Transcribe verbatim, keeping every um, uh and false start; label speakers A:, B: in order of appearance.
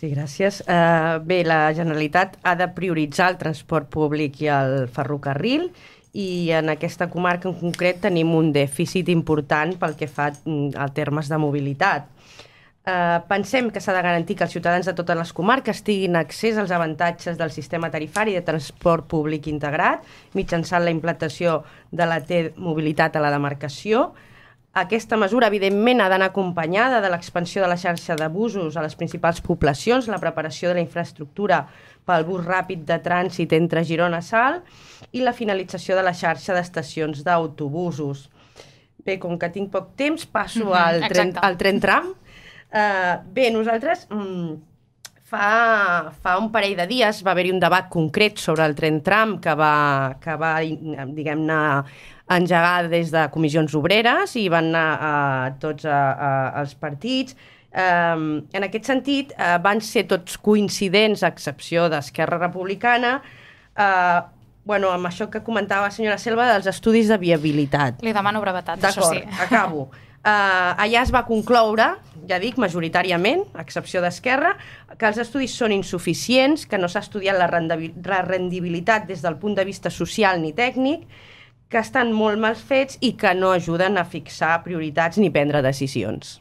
A: Sí, gràcies. Uh, bé, la Generalitat ha de prioritzar el transport públic i el ferrocarril i en aquesta comarca en concret tenim un dèficit important pel que fa a termes de mobilitat. Uh, pensem que s'ha de garantir que els ciutadans de totes les comarques tinguin accés als avantatges del sistema tarifari de transport públic integrat mitjançant la implantació de la T-mobilitat a la demarcació. Aquesta mesura, evidentment, ha d'anar acompanyada de l'expansió de la xarxa de busos a les principals poblacions, la preparació de la infraestructura pel bus ràpid de trànsit entre Girona i Salt i la finalització de la xarxa d'estacions d'autobusos. Bé, com que tinc poc temps, passo mm-hmm, al, tren, al tren tram. Uh, bé, nosaltres mm, fa, fa un parell de dies va haver-hi un debat concret sobre el tren tram que va, que va diguem-ne, engegar des de comissions obreres i van anar a tots a, a, als partits. Um, en aquest sentit, uh, van ser tots coincidents, a excepció d'Esquerra Republicana, uh, bueno, amb això que comentava la senyora Selva dels estudis de viabilitat.
B: Li demano brevetat, això sí.
A: D'acord, acabo. Uh, allà es va concloure, ja dic, majoritàriament, a excepció d'Esquerra, que els estudis són insuficients, que no s'ha estudiat la rendibilitat des del punt de vista social ni tècnic, que estan molt mal fets i que no ajuden a fixar prioritats ni prendre decisions.